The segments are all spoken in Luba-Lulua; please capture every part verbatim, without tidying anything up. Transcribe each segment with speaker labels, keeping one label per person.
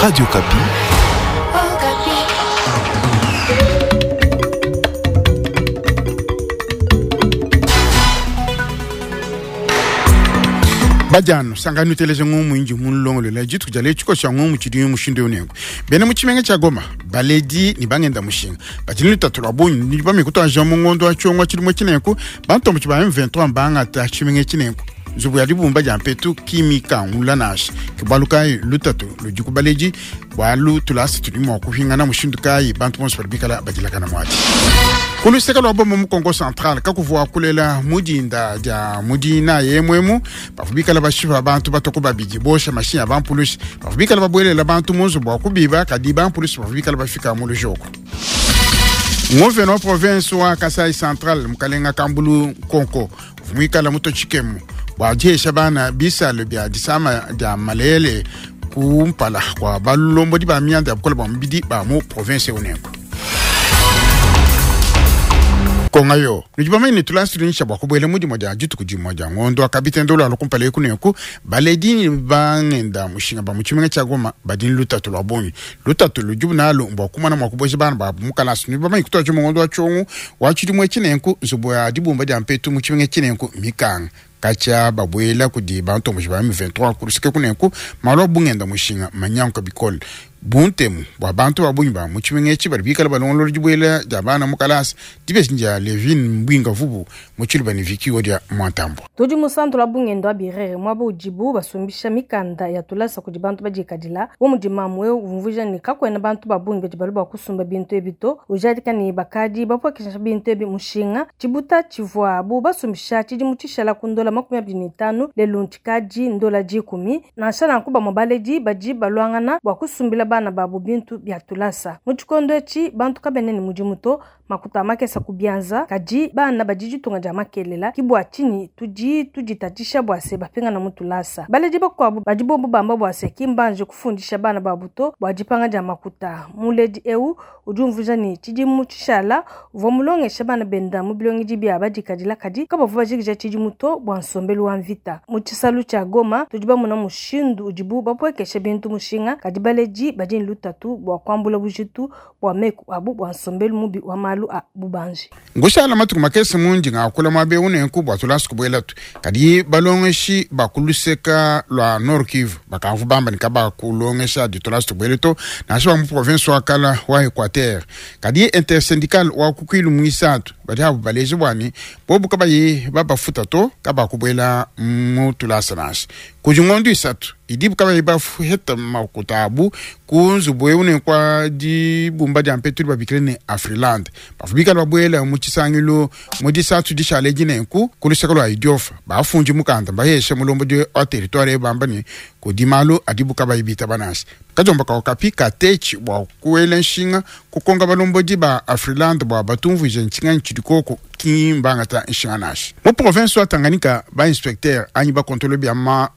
Speaker 1: Radio Okapi.
Speaker 2: Badiano sangani uteleje ngumu inji mulongolola dituku dia lelu tshia ngumu tshidi mushindu unengo bena mu tshimenga tshia Goma baledi ni bangenda mushinga badi ni lutatu lwa bungi ni bamikutu mu ngondo wa tshiongo tshilimo tshinenku bantombo tshi ba M vingt-trois mbangata tshimenga tshinenku nzubu ya dibumba dia mpetu kimikangula nasha ke bualu kayi lutatu ludi ku baledi bualu tulasa tudi mua kuhingana mushindu kayi bantu bonso badi bikala badilakana muadi. Kuluseka lwa bomo mu Kongo Central kakuvua kulela mudinda dia mudina yemwemu bavua bikala bashipa bantu batoko babidi bosha mashinya bampulushi bavua bikala babuelela bantu mu nzubu wa kubiba kadi bampulushi bavua bikala bafika mu lujoko. Nguvena wa province wa Kasai Central mukalenga Kambulu Konko uvua muto tshikemu bua diesha bana bisalo bia disama dia malele kumpala kwa balombodi ba mianda ya bukola bua mubidi ba mu province unengo. Konga yo nudi bamanye ne tulasulinisha bua kubuela mudimu dia dituku dimue dia ngondo akabitendo lwa lukumpala eku nenku baledi bangenda mushinga ba mu tshimenga tshia Goma badi ne lutatu lwa bungi lutatu ludibu nalu mbua kumana mua kubuesha bana babu mu kalasa. Nudi bamanye kutua tshia ngondo wa tshiongo wa tshidimue tshinenku nzubu ya dibumba dia mpetu mu tshimenga tshinenku mikanga katshia babuela kudi bantomboji ba M vingt-trois kuluseke kunenku malu a bungenda mushinga manyanka bikole buntemu bua bantu ba bungi ba mu tshimenga etshi badi bikala balongolola dibuela dia bana mu kalasa dibeshi dia Levin Mbwinga Vubu mu tshiluba ne Vicky Odia Mwantambo.
Speaker 3: Tudi mu centre la bungendo wa Birere mwaba udibu basumbisha mikanda ya tulasa kudi bantu badikadila wo mudi mamu eu umvuija ne kakuena bantu ba bungi badi balu bua kusumba bintu ebi to ujadika ne bakadi bapuakisha bintu ebi mushinga tshibuta tshivuabu basumbisha tshidimu tshishala ku ndola makumi abidi ne itanu lelu ntshikadi ndola dikumi nansha nanku bamue baledi badi baluangana bua kusumbila bana babu bintu bia tulasa mu tshikondo etshi bantu kabene ne mudimu to makuta makesa kubianza kadi bana badi ditunga dia makelela ki bua tshinyi tudi tuditatshisha bua se bapingana mu tulasa baledi bakuabu badi bobu bamba bua se ki mbanje kufundisha bana babu to bua dipanga dia makuta muledi eu udi umvuija ne tshidimu tshishala uvua mulongesha bana benda mu bilongedi bia badikadila kadi kabavua bajikija tshidimu to bua nsombelu wa mvita mu tshisalu tshia Goma tudi bamona mushindu udibu bapuekesha bintu mushinga kadi baledi badi ne lutatu bua kuambula bujitu bua meku abu bua nsombelu mubi wa malu a bubanji.
Speaker 2: Ngushala matuku makese mundi ngakula mwabe unenku bua tulasa kubuela tu kadi balongeshi bakuluseka lwa Nord Kivu bakamvu bamba nikaba kulongesha di tulasa tubuele to nansha ba mu province wa kala wa Equateur kadi intersyndical wa kukwilu mwisatu badi abu baleje bwani bobu kabayi babafuta to kaba kubuela mu tulasa nansha kudi ngondo isatu idibu kabayi bafuheta makuta abu ku nzubu eu ne kwa dibumba dia mpetu babikile ne Afriland bavubikala babuela mu tshisangilu mu disatu dishale dinenku ku luseke lwa idiofa bafundi mukanda bahesha mulombodi wa territoire bamba ne kudi malu adibu kabayi bitaba nansha kajomba kaokapi katechi bua kuela nshinga kukonga balombodi ba Afriland bua batumvuije ntshinga ntshidikoko kimbangata nshinga nansha mu province wa Tanganyika ba inspecteur anyi bakontolo bia ma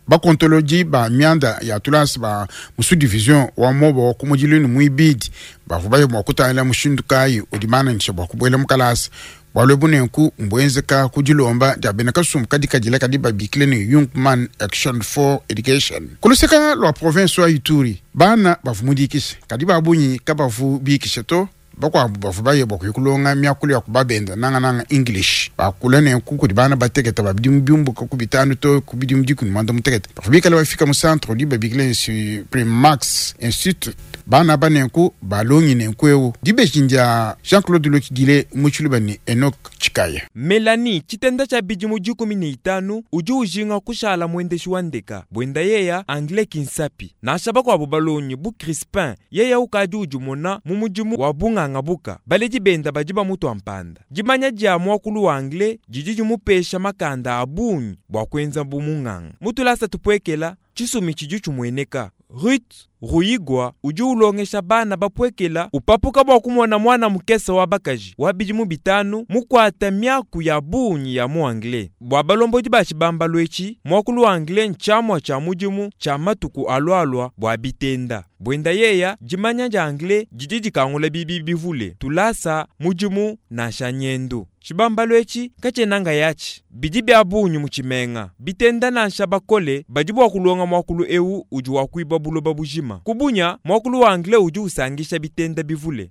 Speaker 2: bakontoloji ba mianda ya tulasa ba musu division wa mobo wa kumujilini muibidi bavua baye mua kutangila mushindu kayi udi bua kubuela mu kalasa bualu ebu nenku mbuenzeka ku dilomba dia bena kasumbu kadi kadila kadi babikile ne Young Man Action for Education kuluseka lwa province wa Ituri bana bavua mudikisha kadi babunyi kabavu bikisha to bakuabu bavua baye bua kuyikulonga miakulu ya kubabenda nangananga English bakula nenku kudi bana bateketa babidimu biumbuka ku bitanu to ku bidimu dikumi mwanda mutekete bavua bikala bafika mu centre udi babikile Supreme Max Institute bana ba nenku balongi nenku eu dibeji ndia Jean-Claude Lokidile mu tshiluba ne Enoch Chikaya.
Speaker 4: Melanie tshitenda tshia bidimu dikumi ne itanu udi ujinga kushala muendeshi wa ndeka buenda yeya anglais kinsapi nansha bakuabu balongi bu Crispin yeya ukadi udimona mu mudimu wa bunganga buka baledi benda badi bamutua mpanda dimanya dia muakulu wa anglais didi dimupesha makanda a bungi bua kuenza bu munganga mutulasa tupuekela tshisumi tshidi tshimueneka Ruth Ruigwa udi ulongesha bana bapuekela upapuka bua kumona mwana mukese wa bakaji wa bidimu bitanu mukwata miaku ya bungi ya mu anglais bua balombodi ba tshibambalu etshi muakulu wa anglais ntshiamua tshia mudimu tshia matuku alualua bua bitenda buenda yeya dimanya dia anglais didi dikangula bibi bivule tulasa mudimu nansha nyendu tshibambalu etshi katshienanga yatshi bidi bia bungi mu tshimenga bitenda nansha bakole badi bua kulonga muakulu eu udi wa kuiba buloba bujima. mujima. Kubunya mwakulu wa anglais udi usangisha bitenda bivule.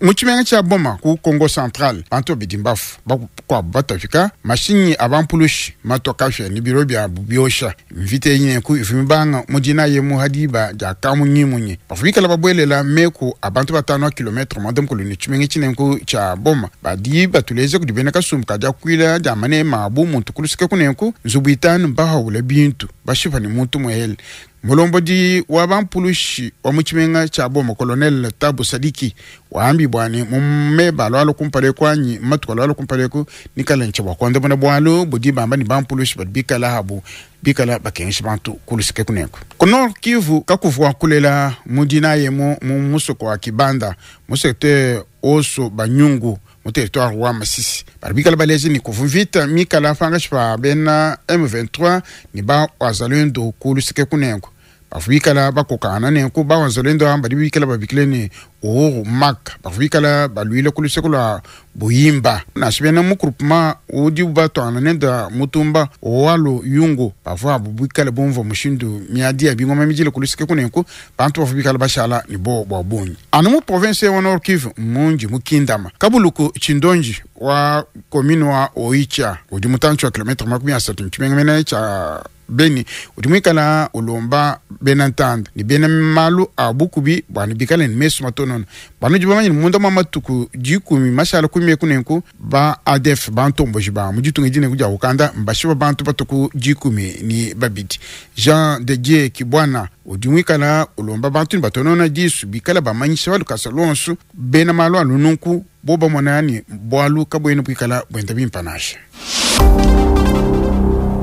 Speaker 2: Mu tshimenga tshia Boma ku Congo Central, bantu babidi mbafu bakuabu batafika mashinyi a bampulushi matoka ni biro bya biosha mvita yenye ku ivu mibanga mu dina ye mu hadiba dia kamunyimunyi bavua bikala babuelela meku a bantu batanu a kilometre mwanda mukulu ne tshimenga tshinenku tshia Boma badi batuleze kudi bena kasumbu kadia kuila dia manema abu muntu kulusika kunenku nzubu itanu bahaula bintu bashipa ni muntu muhele. Mulombodi wa bampulushi wa mu tshimenga tshia Boma Colonel Tabu Sadiki waambi bwani mume balwalo kumpale kwanyi matuka lwalo kumpale ku nikala nche bwa kwanda bona bwalo budi bamba ni bampulushi badi bikala habu bikala bakenshi bantu kulusike kuneko. Ku Nord Kivu kakuvwa kulela mudina ye mu mu musoko wa Kibanda mu secteur oso Banyungu mu territoire wa Masisi. Bari bikala balezi ni kuvuvita mikala fangashi pa bena M vingt-trois ni ba wazalendo kulusike kuneko. Bavubikala bakokana nenku ba wazalendo amba badi bikala babikile ni Uhuru Mak. Bavubikala balwile kuluseke lwa Buyimba. Nashibena mu groupement udi batwana nenda mutumba owalu yungu. Bavua bubikala bumva mushindu miadi ya bingoma mijile kuluseke kunenku bantu bavubikala bashala ni bo bwa bunyi. Anu mu province ya Nord Kivu munji mukindama. Kabuluku chindonji wa commune wa Oicha udi mutanchi wa kilometre makumi asatu nchimengamena cha Beni udi mwikala ulomba bena ntanda ni bena malu a bukubi bwani bikale ni mesu matonono banu jiba manyi munda mwa matuku jikumi mashala kumi kunenku ba A D F bantomboji ba mujitunga jine kuja ukanda mbashiba bantu batuku jikumi ni babidi. Jean de Dieu Kibwana udi mwikala ulomba bantu ni batonona disu bikala bamanyisha balukasa lonsu bena malu alununku boba mwanani bwalu kabwene bwikala bwenda bimpanasha.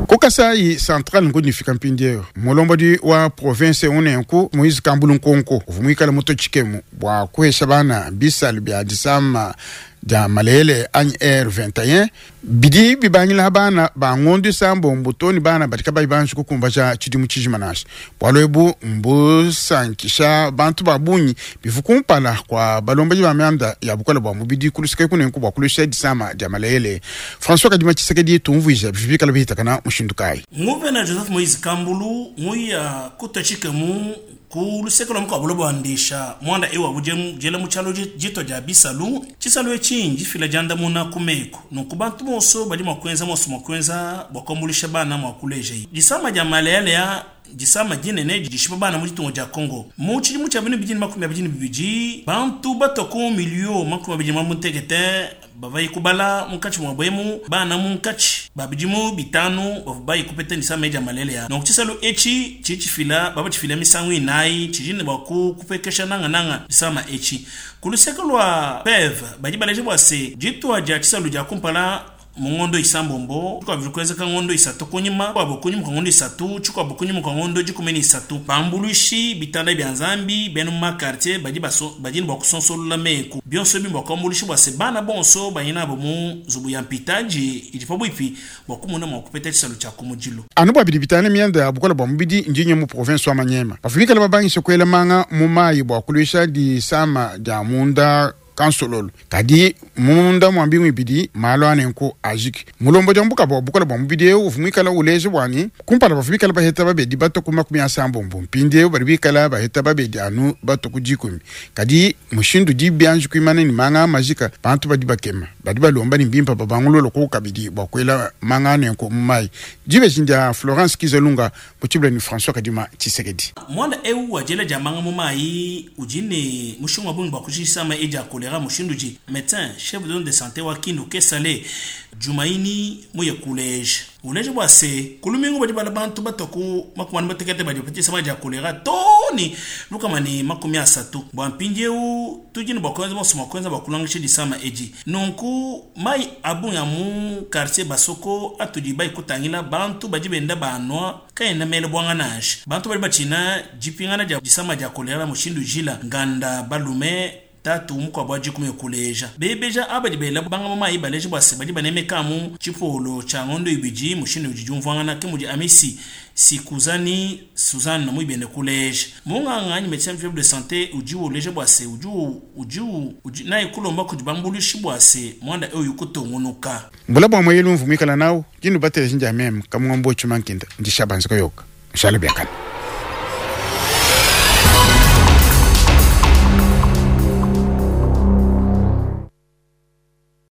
Speaker 2: Kukasai Central nkunifika mpindieu mulombodi wa province unenku Moise Kambulu Nkonko uvumwikala muto chikemu bwa kuhesha bana bisalu bya disama dia malele anyi R vingt et un bidi bibangila bana bangondi sambo mbutoni bana batika bai banji kukumba cha chidimu chijimanasha bwalwebu mbusankisha bantu babunyi bivukumpala kwa balombaji ba myanda ya bukola bwa mubidi kulusike kunenku bwa kulusha disama dia malele. François Kadima Tshisekedi tumvuija bibikala bihitakana mushindukai
Speaker 1: Nguvena Joseph Moise Kambulu nguya kutachikemu ku luseke lwa mukwabo lobwandisha mwanda ewa buje jela muchalo jito ja bisalu chisalu echinji fila janda muna kumeko nunku bantu bonso bali makwenza monso makwenza bwakombulisha bana mwakuleje jisama ja malele ya jisama jinene jishipa bana mujitungo ja Congo mu chilimu cha binu bijini makumi abijini bibiji bantu batoko milio makumi abijini mamutekete bavayi kubala mukachi mwa bwemu bana munkachi babijimu bitanu bavubayi kupeta nisama ja malele ya nonku chisalu echi chichifila baba chifila misangu inayi chijine baku kupekesha nanga nanga nisama echi kuluseke lwa P E V baji baleje bwase jitwa ja chisalu ja kumpala mungondo isambombo kwa vikwezeka ngondo isatu kunyima kwa bokunyima kwa ngondo isatu chukwa bokunyima kwa ngondo jikumeni isatu bambulushi bitanda bya Nzambi benu ma quartier baji baso baji bwa kusonsolola meku byonso bimba kwa mbulushi bwa sebana bonso bayina bo mu zubu ya mpitaji ijipo bwipi bwa kumuna mwa kupeta chisalu cha kumujilo
Speaker 2: anu bwa bidi bitane myanda ya bukola bwa mubidi njinye mu province wa Manyema bafika la babangi sokwela manga mu mayi bwa kulisha di sama ja munda kansololo kadi munda mwambi mwibidi malo anenko ajiki mulombo jambuka bwa bukola bwa mubidi uvumwikala uleje bwani kumpala bafumikala baheta babedi bato kuma kumi asambo mpindi bari bikala baheta babedi anu bato kujikumi kadi mushindu di byanji kuimana ni manga majika bantu badi bakema badi balomba ni mbimpa babangulolo ko kabidi bwa kwela manga anenko mai jibe jinja Florence Kizalunga mutibla ni François Kadima Tshisekedi
Speaker 1: mwanda ewu wajela jamanga mu mai ujine mushunga bungi bakujisama eja kolera mushinduji médecin chef de zone de santé wa Kindu Kesale Jumaini muye collège uleje bwase kulumingu badi bala bantu batoku makumani batekete badi patisa baja kolera toni lukamani makumi asatu bwa mpinjeu tujini bwa kwanza bwa kwanza bwa kulangisha disama eji nunku mai abu ya mu quartier basoko atudi bai kutangila bantu badi benda banwa kaenda mele bwanga nash bantu badi bachina jipingana ja disama ja kolera mushindu jila nganda balume tatu mukwa bwa jikume kuleja bebeja abadi bela banga mama ibaleje bwase badi banemeka mu chipolo cha ngondo ibiji mushindu jijumvangana kemuji amisi sikuzani Suzanne na muibende kuleja munganga ni médecin chef de santé uji uleje bwase uji uji uji na ikulomba kujibambulishi bwase mwanda eyo yukutongunuka
Speaker 2: mbula bwa mwelu mvumikala nawo jinu batele jinja mem kamwambo chumankinda ndishabanziko yoka shale byakana.